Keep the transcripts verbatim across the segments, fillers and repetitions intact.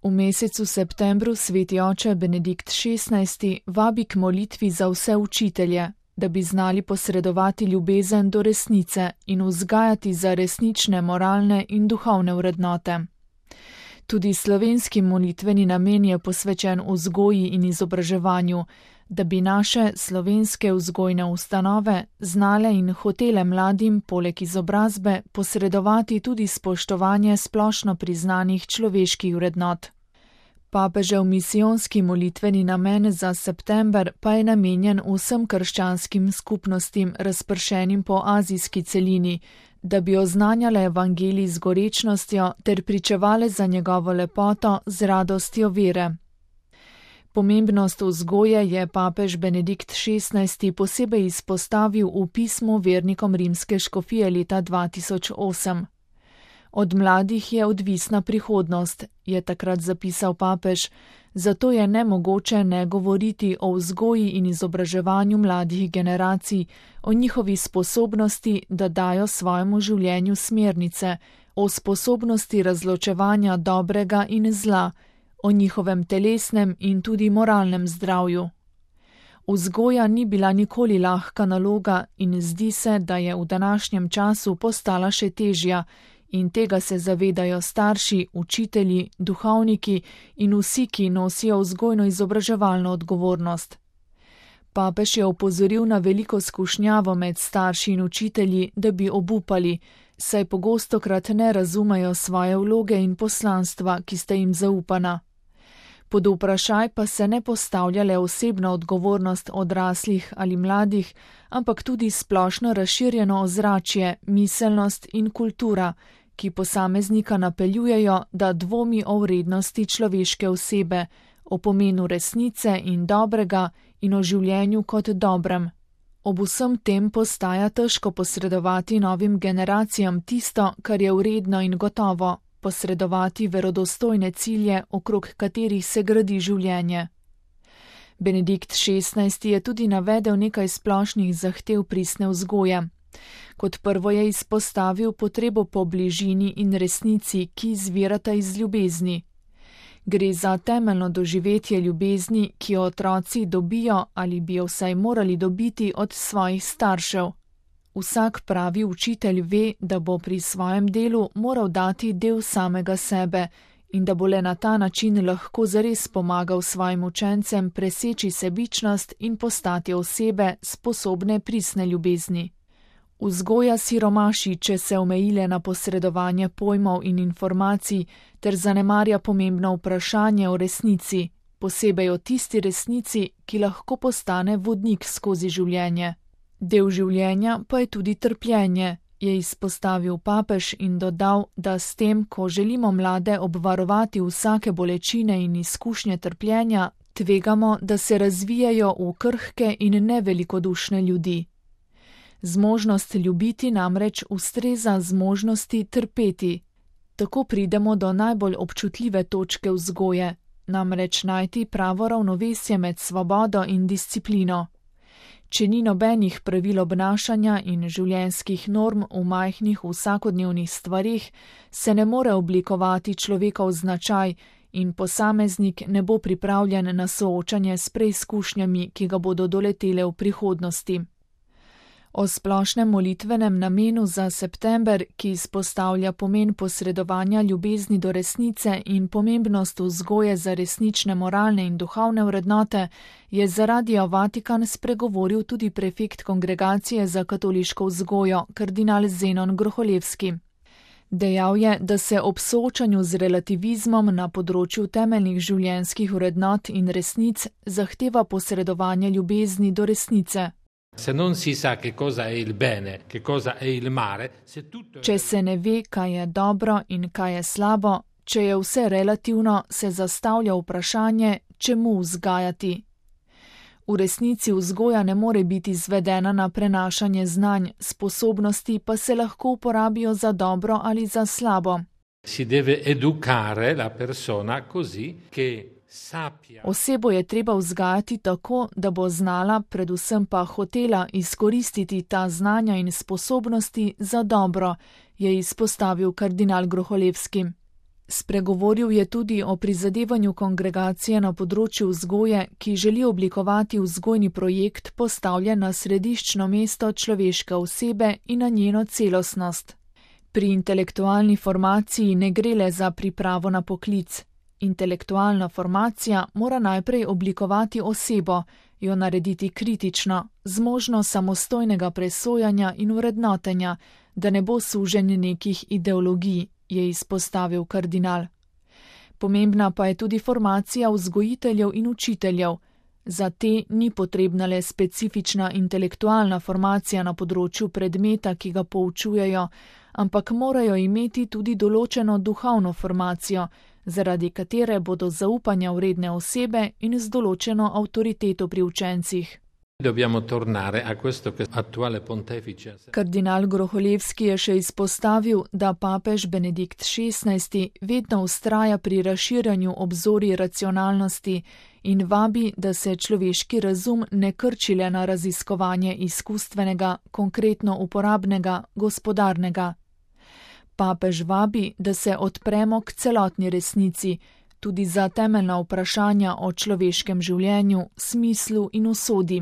V mesecu septembru sveti oče Benedikt šestnajsti vabi k molitvi za vse učitelje, da bi znali posredovati ljubezen do resnice in vzgajati za resnične moralne in duhovne vrednote. Tudi slovenski molitveni namen je posvečen vzgoji in izobraževanju, da bi naše slovenske vzgojne ustanove znale in hotele mladim poleg izobrazbe posredovati tudi spoštovanje splošno priznanih človeških vrednot. Papežev misijonski molitveni namen za september pa je namenjen vsem krščanskim skupnostim razpršenim po azijski celini, da bi oznanjale evangelij z gorečnostjo ter pričevale za njegovo lepoto z radostjo vere. Pomembnost vzgoje je papež Benedikt šestnajsti posebej izpostavil v pismu vernikom rimske škofije leta dva tisoč osem. Od mladih je odvisna prihodnost, je takrat zapisal papež, zato je nemogoče ne govoriti o vzgoji in izobraževanju mladih generacij, o njihovi sposobnosti, da dajo svojemu življenju smernice, o sposobnosti razločevanja dobrega in zla, o njihovem telesnem in tudi moralnem zdravju. Vzgoja ni bila nikoli lahka naloga in zdi se, da je v današnjem času postala še težja, in tega se zavedajo starši, učitelji, duhovniki in vsi, ki nosijo vzgojno-izobraževalno odgovornost. Papež je opozoril na veliko skušnjavo med starši in učitelji, da bi obupali, saj pogostokrat ne razumejo svoje vloge in poslanstva, ki sta jim zaupana. Pod vprašaj pa se ne postavlja le osebna odgovornost odraslih ali mladih, ampak tudi splošno razširjeno ozračje, miselnost in kultura, ki posameznika napeljujejo, da dvomi o vrednosti človeške osebe, o pomenu resnice in dobrega in o življenju kot dobrem. Ob vsem tem postaja težko posredovati novim generacijam tisto, kar je vredno in gotovo, posredovati verodostojne cilje, okrog katerih se gradi življenje. Benedikt šestnajsti je tudi navedel nekaj splošnih zahtev pristne vzgoje. Kot prvo je izpostavil potrebo po bližini in resnici, ki izvirata iz ljubezni. Gre za temeljno doživetje ljubezni, ki jo otroci dobijo ali bi jo vsaj morali dobiti od svojih staršev. Vsak pravi učitelj ve, da bo pri svojem delu moral dati del samega sebe in da bo le na ta način lahko zares pomagal svojim učencem preseči sebičnost in postati osebe sposobne pristne ljubezni. Vzgoja siromaši, če se omejile na posredovanje pojmov in informacij ter zanemarja pomembno vprašanje o resnici, posebej o tisti resnici, ki lahko postane vodnik skozi življenje. Del življenja pa je tudi trpljenje, je izpostavil papež in dodal, da s tem, ko želimo mlade obvarovati vsake bolečine in izkušnje trpljenja, tvegamo, da se razvijajo v krhke in nevelikodušne ljudi. Zmožnost ljubiti namreč ustreza zmožnosti trpeti. Tako pridemo do najbolj občutljive točke vzgoje, namreč najti pravo ravnovesje med svobodo in disciplino. Če ni nobenih pravil obnašanja in življenjskih norm v majhnih vsakodnevnih stvarih, se ne more oblikovati človekov značaj in posameznik ne bo pripravljen na soočanje s preizkušnjami, ki ga bodo doletele v prihodnosti. O splošnem molitvenem namenu za september, ki izpostavlja pomen posredovanja ljubezni do resnice in pomembnost vzgoje za resnične moralne in duhovne vrednote, je za Radio Vatikan spregovoril tudi prefekt Kongregacije za katoliško vzgojo, kardinal Zenon Groholevski. Dejal je, da se ob soočanju z relativizmom na področju temeljnih življenjskih vrednot in resnic zahteva posredovanje ljubezni do resnice. Se non si sa che cosa è il bene, che cosa è il male, se tutto è... Če se ne ve, kaj je dobro in kaj je slabo, če je vse relativno, se zastavlja vprašanje, čemu vzgajati. V resnici vzgoja ne more biti izvedena na prenašanje znanj, sposobnosti pa se lahko uporabijo za dobro ali za slabo. Si deve educare la persona così che Osebo je treba vzgajati tako, da bo znala, predvsem pa hotela izkoristiti ta znanja in sposobnosti za dobro, je izpostavil kardinal Groholevski. Spregovoril je tudi o prizadevanju kongregacije na področju vzgoje, ki želi oblikovati vzgojni projekt, postavljen na središčno mesto človeške osebe in na njeno celostnost. Pri intelektualni formaciji ne gre le za pripravo na poklic. Intelektualna formacija mora najprej oblikovati osebo, jo narediti kritično, zmožno samostojnega presojanja in vrednotenja, da ne bo sužen nekih ideologij, je izpostavil kardinal. Pomembna pa je tudi formacija vzgojiteljev in učiteljev. Za te ni potrebna le specifična intelektualna formacija na področju predmeta, ki ga poučujejo, ampak morajo imeti tudi določeno duhovno formacijo, zaradi katere bodo zaupanja vredne osebe in z določeno avtoriteto pri učencih. Dobbiamo tornare a questo che attuale pontefice. Kardinal Groholevski je še izpostavil, da papež Benedikt šestnajsti vedno vztraja pri razširjanju obzorij racionalnosti in vabi, da se človeški razum ne krči le na raziskovanje izkustvenega, konkretno uporabnega, gospodarnega. Papež vabi, da se odpremo k celotni resnici, tudi za temeljna vprašanja o človeškem življenju, smislu in usodi.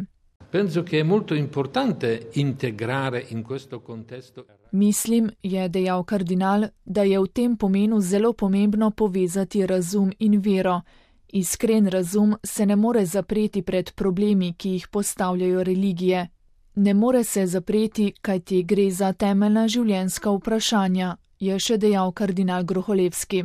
Penso che è molto importante integrare in questo contesto. Mislim, je dejal kardinal, da je v tem pomenu zelo pomembno povezati razum in vero. Iskren razum se ne more zapreti pred problemi, ki jih postavljajo religije. Ne more se zapreti, kajti gre za temeljna življenjska vprašanja, je še dejal kardinal Groholevski.